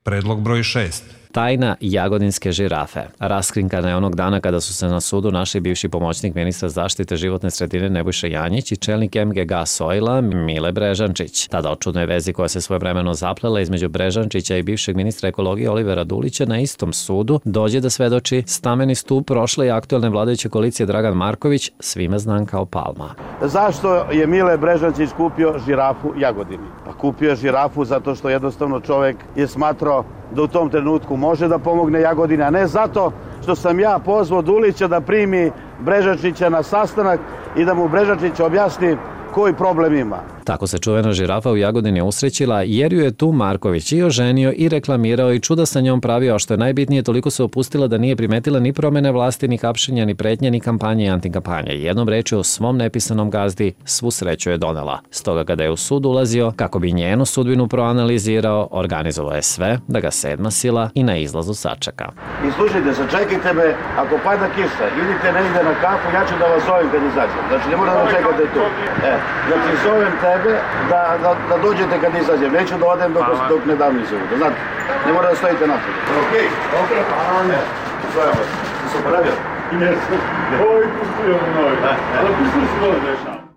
Predlog broj 6. Tajna jagodinske žirafe. Raskrinkana je onog dana kada su se na sudu našli bivši pomoćnik ministra zaštite životne sredine Nebojša Janjić i čelnik MGG Soila Mile Brežančić. Tada o čudnoj vezi koja se svojevremeno zaplela između Brežančića i bivšeg ministra ekologije Olivera Dulića na istom sudu dođe da svedoči stameni stup prošle i aktuelne vladajuće koalicije Dragan Marković, svima znan kao Palma. Zašto je Mile Brežančić kupio žirafu Jagodini? Pa kupio je žirafu zato što jednostavno čovek je smatrao da u tom trenutku može da pomogne Jagodini, a ne zato što sam ja pozvao Dulića da primi Brežančića na sastanak i da mu Brežančić objasni koji problem ima. Tako se čuvena žirafa u Jagodini usrećila jer ju je tu Marković i oženio i reklamirao i čuda sa njom pravio, a što je najbitnije, toliko se opustila da nije primetila ni promene vlasti, ni hapšenja, ni pretnje, ni kampanje i antikampanje. Jednom rečju, svom nepisanom gazdi svu sreću je donela. Stoga kada je u sud ulazio, kako bi njenu sudbinu proanalizirao, organizovao je sve da ga sedma sila i na izlazu sačeka. I slušajte, sačekajte me, ako pada kiša, idite negde na kafu, ja ću da vas zovem kad izađem. Znači, ne morate da čekate tu. Znači, zovem tebe da dođete kad izađem. Neću da odem dok ne dam izjavu. Znate, ne mora da stojite napred. Okej, hvala. Zovem vas. Ti se opravio? Jesam. Oj, pustujem mnogo. Ali pustujem se mnogo dešava.